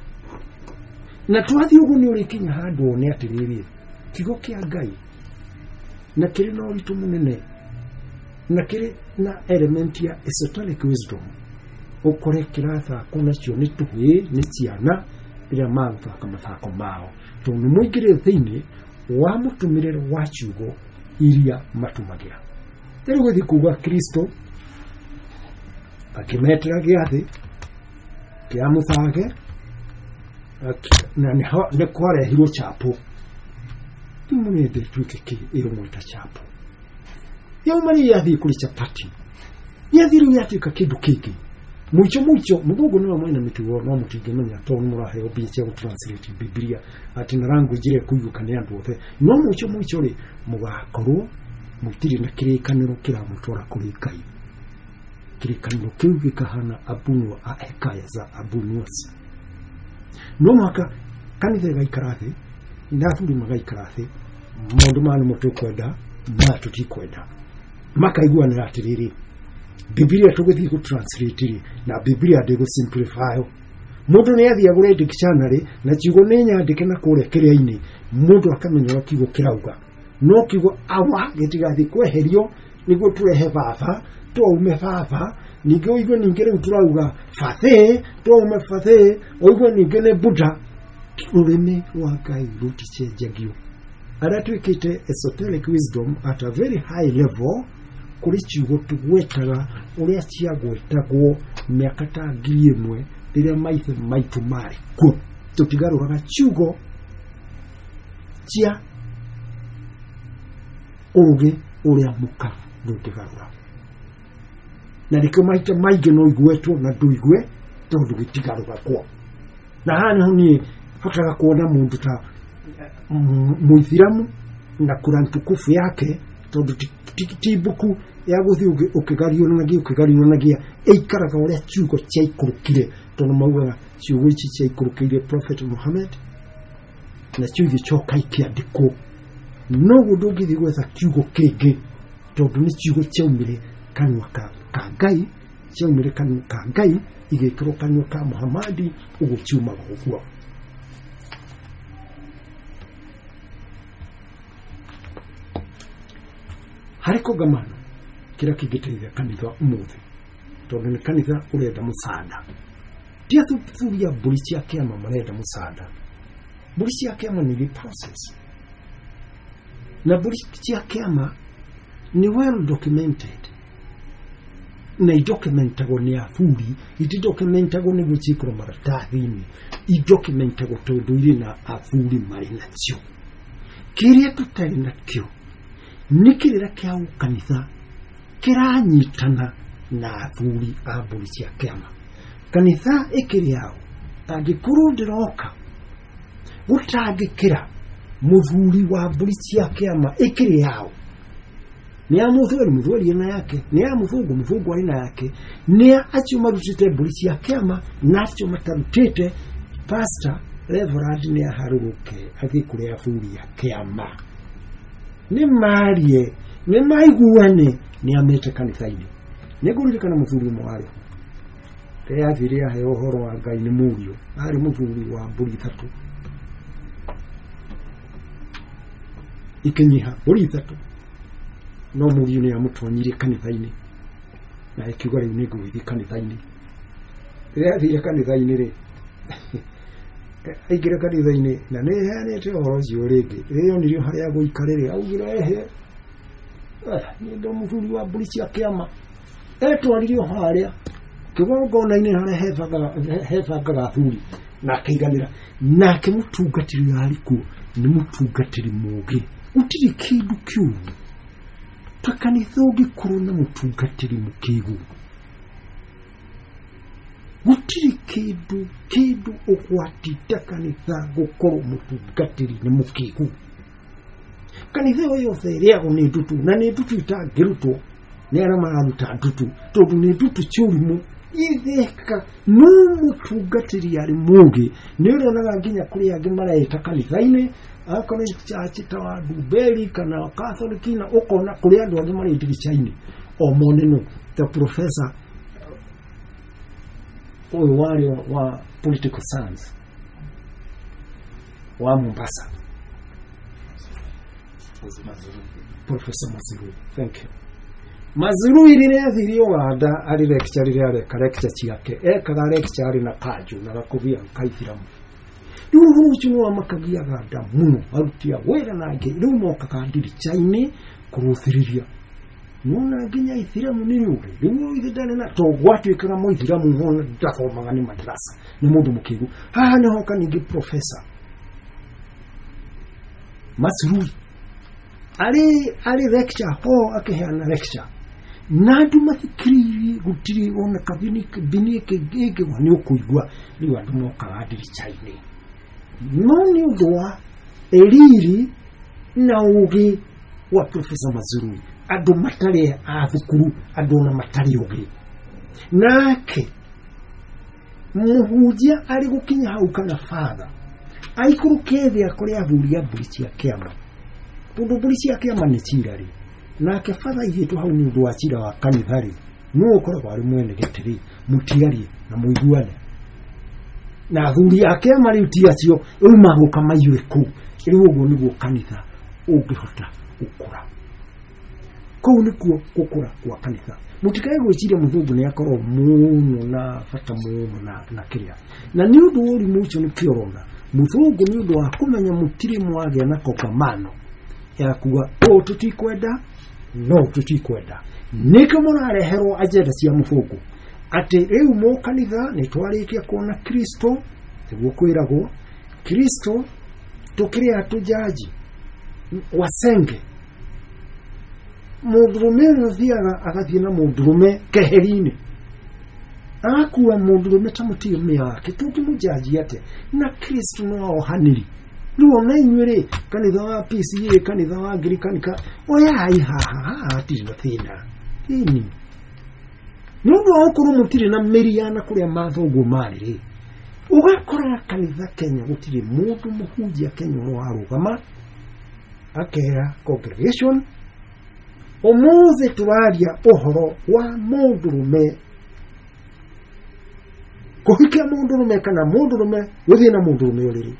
Na twathiĩ ũguo nĩ ũrĩkinya handũ wone atĩrĩrĩ, kiugo kĩa Ngai na kĩrĩ na ũritũ mũnene, na kĩrĩ na element ya esoteric wisdom. Ũkore kĩrathakwo nacio nĩ tũhĩĩ, nĩ ciana rĩrĩa magũthaka mathako mao, tondũ nĩ mũingĩrĩte thĩinĩ wa mũtũmĩre wa ciugo iria matũmagĩra. Rĩu gũthiĩ kuga Kristo akĩmetĩra gĩathĩ kĩa mũthage, na nĩ kwarehirwo chapo. Rĩu mũrende ĩtuĩke kĩ ĩrũmwe ta chapo. Yauma rĩ yathiĩ kũrĩ chapati, yathiĩ rĩu yatuĩka kĩndũ kĩngĩ. Mũico mũico mũthũngũ nĩwe mwene mĩtugo, no mũtingĩmenya tondũ nĩ mũraheo mbia cia gũtranslate Bibilia atĩ na language ĩrĩa ĩkũiguĩka nĩ andũ othe. No mũico mũico rĩ, mũgakorwo mũtirĩ na kĩrĩkanĩro kĩramũtwara kũrĩ Ngai. Kĩrĩkanĩro kĩu gĩkahana abunwa a hekaya za abunuasi. No mũhaka kanitha ĩgaikara thĩ na athuri magaikara thĩ, maũndũ maya nĩmo tũkwenda, maya tũtikwenda. Makaiguanĩra atĩrĩrĩ, Bibilia tũgũthiĩ gũtranslate rĩ, na Bibilia ndĩgũsimplify. Mũndũ nĩ athiĩ agũre dictionary na ciugo nĩ nyandĩke na kũrĩa kĩrĩa-inĩ, mũndũ akamenya ũrĩa kiugo kĩrauga. No kiugo awa gĩtigathiĩ kweherio nĩguo tũrehe baba, twaume baba, ningĩ ũigue ningĩ rĩu tũrauga bathĩ, twaume bathĩ, ũigue ningĩ nĩ Buddha. Rũrĩmĩ rwa Ngai rũticenjagio. Arĩa twĩkĩte esoteric wisdom at a very high level, kũrĩ ciugo tũgwetaga ũrĩa ciagwetagwo mĩaka ta 1000 rĩrĩa maithe maitũ marĩ kuo. Tũtigarũraga ciugo cia ũũgĩ ũrĩa mũka ndũngĩgarũra. Na nĩkĩo maita maingĩ no igwetwo na ndũigue tondũ gĩtigarũragwo. Na haha nĩho niĩ hotaga kuona mũndũ ta mũithiramu Na Quran tukufu yake tondũ ti mbuku ya gũthiĩ ũkĩgariũranagia ũkĩgariũranagia, ĩikaraga ũrĩa ciugo ciaikũrũkire, tondũ maugaga ciugo ici ciaikũrũkĩire Prophet Muhammad na cio igĩcoka ikĩandĩkwo. Noguo ndũngĩthiĩ gwetha kiugo kĩngĩ tondũ nĩ ciugo ciaumire kanua ka Ngai, ciaumire kanua ka Ngai igĩkĩrwo kanua ka Muhammadi, ũguo ciumaga ũguo. Harĩ kongamano kĩrĩa kĩngĩteithia kanitha ũmũthĩ, tondũ nĩ kanitha ũrenda mũcanda, ti athuthuria mbũri cia kĩama marenda mũcanda. Mbũri cia kĩama nĩ process, na mbũri cia kĩama nĩ well documented, na idocumentagwo nĩ athuri, itidocumentagwo nĩguo ciĩkĩrwo maratathi-inĩ, idocumentagwo tondũ irĩ na athuri marĩ nacio. Kĩrĩa tũtarĩ nakĩo nĩ kĩrĩra kĩa kanitha kĩranyitana na athuri a mbũri cia kĩama. Kanitha ĩkĩrĩ yao, angĩkorwo ndĩroka gũtangĩkĩra mũthuri wa mbũri cia kĩama ĩkĩrĩ yao, nĩ ya mũthweri, mũthweri ena yake, nĩ ya mũthũngũ, mũthũngũ arĩ na yake, nĩ ya acio marutĩte mbũri cia kĩama na acio matarutĩte. Pastor Reverend nĩ aharũrũke athiĩ kũrĩ athuri a kĩama, nĩ marie, nĩ maiguane, nĩ amete kanitha-inĩ. Nĩ ngũririkana mũthuri ũmwe warĩ ho rĩrĩa athire aheo ũhoro wa Ngai nĩ mũriũ, arĩ mũthuri wa mbũri ithatũ ikinyiha, mbũri ithatũ, no mũriũ nĩ amũtonyirie kanitha-inĩ na akiuga rĩu nĩ ngũgĩthiĩ kanitha-inĩ. Rĩrĩa athire kanitha-inĩ rĩ, aingĩra kanitha-inĩ na nĩ heanĩte ũhoro ũcio rĩngĩ, rĩrĩa onire harĩa gũikara rĩ, augire ehe, nĩ ndo mũthuri wa mbũri cia kĩama. Etwarire o harĩa kĩgongona-inĩ harĩa hebangaga athuri na akĩiganĩra. Nake mũtungatĩri arĩ kuo nĩ mũtungatĩri mũũgĩ, gũtirĩ kĩndũ kĩũru ta kanitha ũngĩkorwo na mũtungatĩri mũkĩgu. Gũtirĩ kĩndũ ũgwati ta kanitha gũkorwo mũtungatĩri nĩ mũkĩgu. Kanitha ĩyo yothe ĩrĩagwo nĩ ndutu, na nĩ ndutu itangĩrutwo nĩ arĩa mararuta ndutu, tondũ nĩ ndutu ciũrimũ itheka. No mũtungatĩri arĩ mũũgĩ, nĩ ũrĩonaga nginya kũrĩ angĩ mareita kanitha-inĩ, akorwo nĩ church ta wa Ndumberi kana Catholic, na ũkona kũrĩ andũ angĩ marĩ ndirica-inĩ o mone no ta professor ũyũ warĩ wa political science wa Mombasa, Professor Mazirui. Thank you. Mazirui rĩrĩa athire Uganda arĩ lecture, rĩrĩa areka lecture ciake, ekaga lecture arĩ na kanjũ na gakobia ka ithiramu. Rĩu ũhoro ũcio nĩ wamakagia Aganda mũno, aruti a wĩra na angĩ rĩu mokaga ndirica-inĩ kũrũthĩrĩria, nona nginya ithiramu nĩ rĩũrĩ rĩu ithe ndarĩ na to gwatuĩkaga mũithiramu ona ndathomaga nĩ madrasa, nĩ mũndũ mũkĩgu. Haha nĩ hoka ningĩ Professor Mazirui arĩ lecture ho akĩheana lecture na andũ mathikĩrĩirie, gũtirĩ ona kabini bini ĩngĩgwa nĩ ũkũigua. Rĩu andũ mokaga ndirica-inĩ, no nĩ ũndũ wa riri na ũgĩ wa Professor Mazirui, andũ matarĩ a thukuru, andũ ona matarĩ ũgĩ. Nake mũhunjia arĩ gũkinya hau kana father aikũrũke thĩ akore athuri a mbũri cia kĩama, tondũ mbũri cia kĩama nĩ cira rĩ, nake father aigĩtwo hau nĩ ũndũ wa cira wa kanitha rĩ, nũ ũkoragwo arĩ mwene gĩtĩ rĩ, mũtiarie na mũiguane na athuri a kĩama rĩu ti acio rĩu magũka maiyũre kũu. Rĩu ũguo nĩguo kanitha ũngĩhota gũkũra. Kũu nĩkuo gũkũra kwa kanitha. Mũtikae gwĩciria mũthũngũ nĩ akorwo mũno na bata mũno na kĩrĩa, na nĩ ũndũ wa ũrimũ ũcio nĩkĩo ũrona mũthũngũ nĩ ũndũ wa kũmenya mũtirĩ mwagĩa na kongamano ya kuga ũũ tũtikwenda no tũtikwenda, nĩkĩo mũrareherwo agenda cia mũthũngũ atĩ rĩu mũkanitha nĩ twarĩkia kuona Kristo, nĩguo kwĩragwo Kristo tũkĩrĩ atũjaji wasenge. Mũndũrũme ũrĩa ũthiaga agathiĩ na mũndũrũme keheri-inĩ, agakua mũndũrũme ta mũtumia wake, tũngĩmũjaji atĩa? Na Kristo no ohanĩri. Rĩu ona inyuĩ rĩ, kanitha wa PCA, kanitha wa Anglican, oyai haha haha hatirĩ na thĩna. Ĩni nĩ ũndũ wa gũkorwo mũtirĩ na mĩri ya na kũrĩa mathoguo marĩ rĩ, ũgakora kanitha Kenya gũtirĩ mũndũ mũhunjia Kenya ũrĩa warũgama akera congregation ũmũthĩ tũraria ũhoro wa mũndũrũme kũhikia mũndũrũme kana mũndũrũme gũthiĩ na mũndũrũme ũrĩrĩ.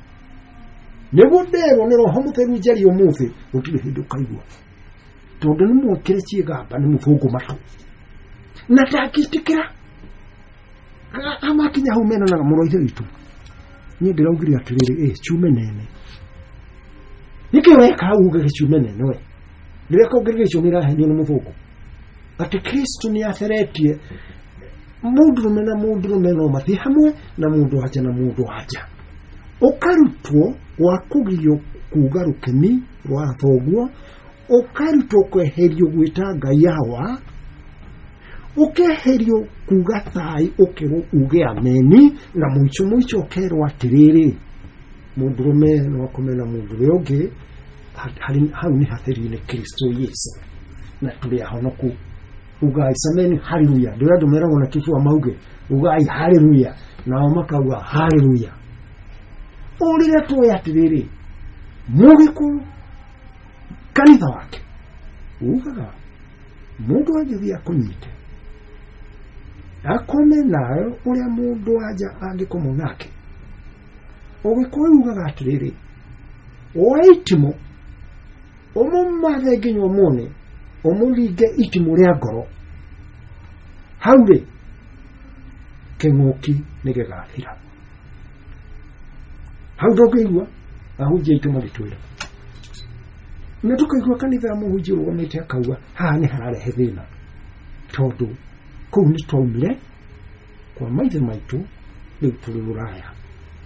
Nĩguo nderwo nĩ Roho Mũtheru njarie ũmũthĩ, gũtirĩ hĩndĩ ũkaigua, tondũ nĩ mwĩkĩre ciĩgamba nĩ mũthũngũ matũ na ndangĩtĩkĩra. Amakinya hau menanaga mũrũ wa ithe witũ, niĩ ndĩraugire atĩrĩrĩ, ĩ ciume nene nĩkĩ weka hau uge gĩciume nene we rĩrĩa congregation ĩrahenio nĩ mũthũngũ atĩ Kristo nĩ atheretie mũndũrũme na mũndũrũme no mathiĩ hamwe na mũndũ wanja na mũndũ wanja. Ũkarutwo wa kũgirio kuga rũkemi rwa thoguo, ũkarutwo kweherio gwĩta Ngai awa, ũkeherio kuga thai ũkerwo uge ameni, na mũico mũico ũkerwo atĩrĩrĩ mũndũrũme no akome na mũndũ ũrĩa ũngĩ, hau nĩ hatheri-inĩ Kristo Yesu na tũrĩ ahonoku. Ugai sameni haleluya, ndio andũ meragwo na kibua mauge ugai haleluya, nao makauga haleluya. Ũrĩrĩa tũĩ atĩrĩrĩ mũgĩkũyũ kanitha wake ugaga mũndũ angĩthiĩ akũnyite akome nawe ũrĩa mũndũ wanja angĩkomwo nake. Ũgĩkũyũ ugaga atĩrĩrĩ woe itimũ ũmũmathe nginya ũmuone, ũmũringe itimũ rĩa ngoro, hau rĩ kĩng'ũki nĩ gĩgathira. Hau ndũngĩigua ahunjia aitũ magĩtwĩra, na tũkaigua kanitha ya mũhunjia ũrũgamĩte akauga haha nĩ hararehe thĩna, tondũ kũu nĩ twaumire kwa maithe maitũ, rĩu tũrĩ rũraya.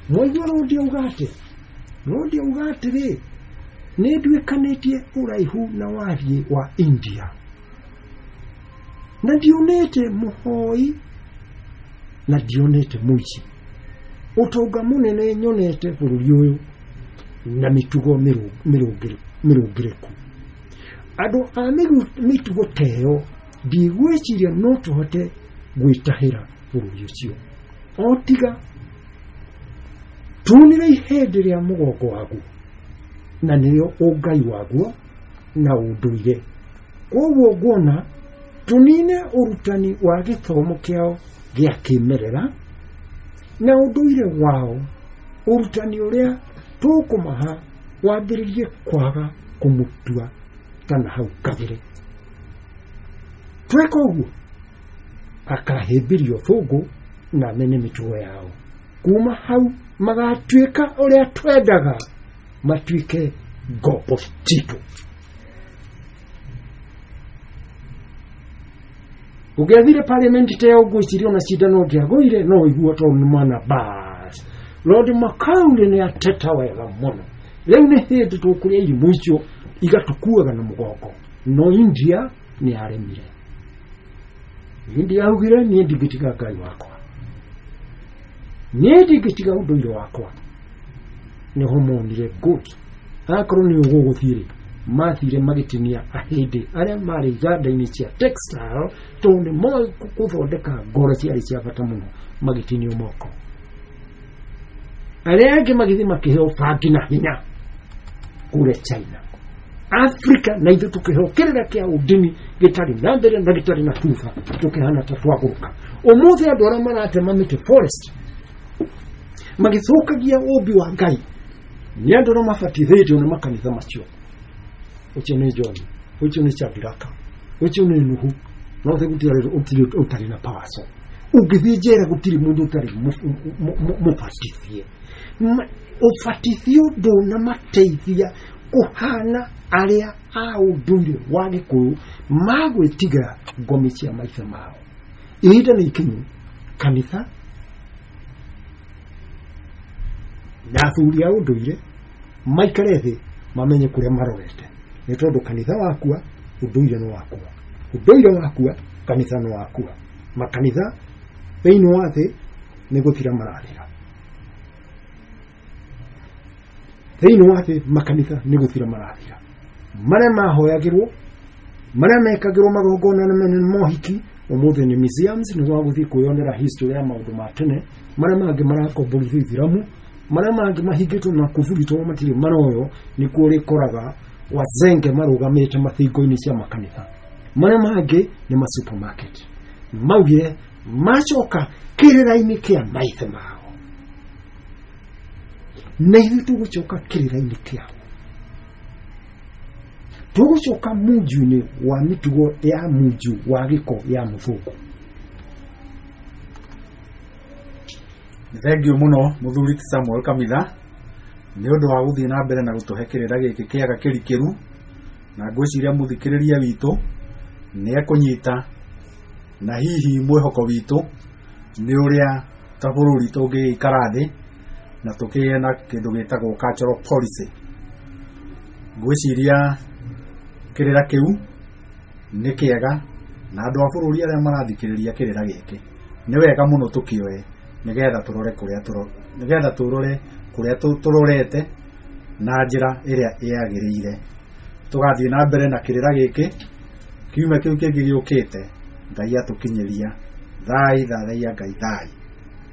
Mwaigua Rũndi auga atĩa? Rũndi auga atĩrĩ, nĩ nduĩkanĩtie ũraihu na wariĩ wa India, na ndionete mũhoi na ndionete mũici. Ũtonga mũnene nyonete bũrũri ũyũ na mĩtugo mĩrũngĩrĩku. Andũ a mĩtugo ta ĩyo ndigwĩciria no tũhote gwĩtahĩra bũrũri ũcio, o tiga tunire ihĩndĩ rĩa mũgongo waguo, na nĩrĩo ũngai waguo na ũndũire. Koguo nguona tũnine ũrutani wa gĩthomo kĩao gĩa kĩmerera na ũndũire wao, ũrutani ũrĩa tũkũmaha wambĩrĩrie kwaga kũmũtua kana hau kabere. Tweka ũguo akahĩmbĩrio thũngũ na mene mĩtugo yao. Kuma hau magatuĩka ũrĩa twendaga matuĩke ngombo citũ. Ũngĩathire parliament ta ĩyo ngwĩciria ona cindano ũngĩagũire no ũigua tondũ nĩ mwana bas. Lord Macaulay nĩ ateta wega mũno. Rĩu nĩ hĩndĩ tũkũrĩa irimũ icio igatũkuaga na mũgongo. No India nĩ yaremire. India yaugire niĩ ndingĩtiga Ngai wakwa, niĩ ndingĩtiga ũndũire wakwa. Nĩho monire good. Akorwo nĩ ũgũgũthiĩ rĩ, mathire magĩtinia ahĩndĩ arĩa marĩ iganda-inĩ cia textile, tondũ nĩ moĩ gũthondeka ngoro ciarĩ cia bata mũno, magĩtinio moko. Arĩa angĩ magĩthiĩ makĩheo bangi na hinya kũrĩa China. Africa na ithuĩ tũkĩheo kĩrĩra kĩa ũndini gĩtarĩ na mbere na gĩtarĩ na thutha, tũkĩhana ta twagũrũka. Ũmũthĩ andũ arĩa maratema mĩtĩ forest magĩthũkagia ũmbi wa Ngai nĩ andũ arĩa mabatithĩtio nĩ makanitha macio. Ũcio nĩ John, ũcio nĩ Shadraka, ũcio nĩ Nuhu. No thĩ gũtirĩ ũtarĩ na paso. Ũngĩthiĩ njera gũtirĩ mũndũ ũtarĩ mũbatithie. Ũbatithio ndũnamateithia kũhana arĩa a ũndũire wa Gĩkũyũ magwĩtigĩra ngomi cia maithe mao. Ihinda nĩ ikinyu kanitha na athuri a ũndũire maikare thĩ mamenye kũrĩa marorete, nĩ tondũ kanitha wakua ũndũire nĩ wakua, ũndũire wakua kanitha nĩ wakua. Makanitha thĩinĩ wa thĩ nĩ gũthira marathira. Thĩinĩ wa thĩ makanitha nĩ gũthira marathira, marĩa mahoyagĩrwo, marĩa mekagĩrwo magongona na manene mohiki, ũmũthĩ nĩ museums, nĩ wa gũthiĩ kwĩyonera history ya maũndũ ma tene. Marĩa mangĩ marakomborithio ithiramu, marĩa mangĩ mahingĩtwo na kuburi tondũ matirĩ maroyo, nĩkuo ũrĩkoraga wazenge marũgamĩte mathingo-inĩ cia makanitha. Marĩa mangĩ nĩ ma supermarket. Maugire macoka kĩrĩra-inĩ kĩa maithe mao, na ithuĩ tũgũcoka kĩrĩra-inĩ kĩao, tũgũcoka munju-inĩ wa mĩtugo ya munju wa gĩko ya mũthũngũ. Nĩ thengiũ mũno mũthuri ti Samuel Kamitha nĩ ũndũ wa gũthiĩ na mbere na gũtũhe kĩrĩra gĩkĩ kĩega kĩrikĩru, na ngwĩciria mũthikĩrĩria witũ nĩ ekũnyita, na hihi mwĩhoko witũ nĩ ũrĩa ta bũrũri tũngĩgĩikara thĩ na tũkĩgĩe na kĩndũ gĩtagwo cultural policy. Ngwĩciria kĩrĩra kĩu nĩ kĩega, na andũ a bũrũri arĩa marathikĩrĩria kĩrĩra gĩkĩ nĩ wega mũno tũkĩoe nĩgetha tũrore kũrĩa nĩgetha tũrore kũrĩa tũrorete na njĩra ĩrĩa yagĩrĩire. Tũgathiĩ na mbere na kĩrĩra gĩkĩ kiumia kĩu kĩngĩ gĩũkĩte. Ngai atũkinyĩria thai, thathaiya Ngai thai.